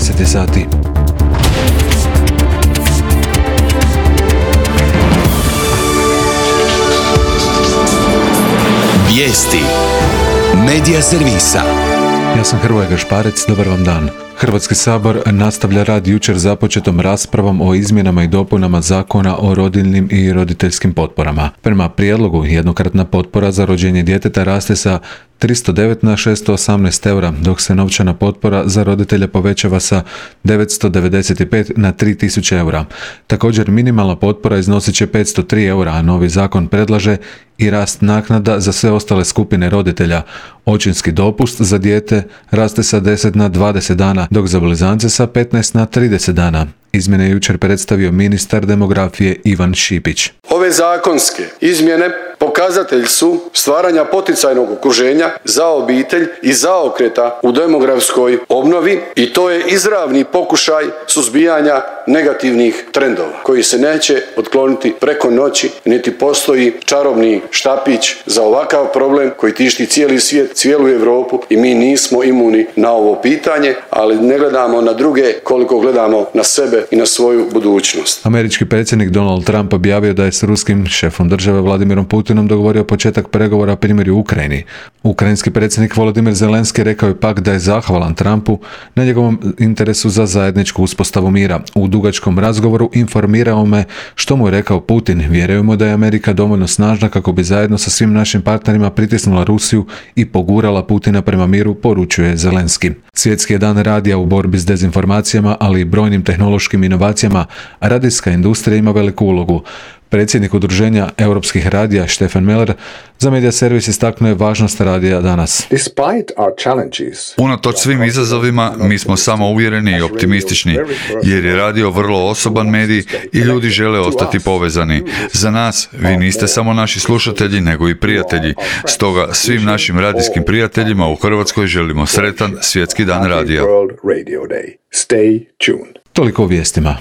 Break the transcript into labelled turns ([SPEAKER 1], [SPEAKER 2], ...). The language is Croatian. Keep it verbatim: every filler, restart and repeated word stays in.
[SPEAKER 1] deset sati.
[SPEAKER 2] Vijesti Medija servisa.
[SPEAKER 1] Ja sam Hrvoje Gašparec, dobar vam dan. Hrvatski sabor nastavlja rad jučer započetom raspravom o izmjenama i dopunama Zakona o rodiljnim i roditeljskim potporama. Prema prijedlogu, jednokratna potpora za rođenje djeteta raste sa tristo devet na šesto osamnaest eura, dok se novčana potpora za roditelja povećava sa devetsto devedeset pet na tri tisuće eura. Također, minimalna potpora iznosit će petsto tri eura, a novi zakon predlaže i rast naknada za sve ostale skupine roditelja. Očinski dopust za dijete raste sa deset na dvadeset dana, dok za blizance sa petnaest na trideset dana. Izmjene je jučer predstavio ministar demografije Ivan Šipić.
[SPEAKER 3] Ove zakonske izmjene pokazatelj su stvaranja poticajnog okruženja za obitelj i zaokreta u demografskoj obnovi i to je izravni pokušaj suzbijanja negativnih trendova koji se neće otkloniti preko noći, niti postoji čarobni štapić za ovakav problem koji tišti cijeli svijet, cijelu Europu i mi nismo imuni na ovo pitanje, ali ne gledamo na druge koliko gledamo na sebe i na svoju budućnost.
[SPEAKER 1] Američki predsjednik Donald Trump objavio da je s ruskim šefom države Vladimirom Putinom dogovorio početak pregovora primjeri u Ukrajini. Ukrajinski predsjednik Volodymyr Zelenski rekao je pak da je zahvalan Trumpu na njegovom interesu za zajedničku uspostavu mira. U dugačkom razgovoru informirao me što mu je rekao Putin. Vjerujemo da je Amerika dovoljno snažna kako bi zajedno sa svim našim partnerima pritisnula Rusiju i pogurala Putina prema miru, poručuje Zelenski. Svjetski je dan radija u borbi s dezinformacijama, ali i brojnim tehnološkim inovacijama. Radijska industrija ima veliku ulogu. Predsjednik udruženja europskih radija Stefan Meller za Medija servis istaknuo je važnost radija danas.
[SPEAKER 4] Unatoč svim izazovima, mi smo samo uvjereni i optimistični, jer je radio vrlo osoban medij i ljudi žele ostati povezani. Za nas, vi niste samo naši slušatelji, nego i prijatelji. Stoga svim našim radijskim prijateljima u Hrvatskoj želimo sretan svjetski dan radija.
[SPEAKER 1] Toliko o vijestima.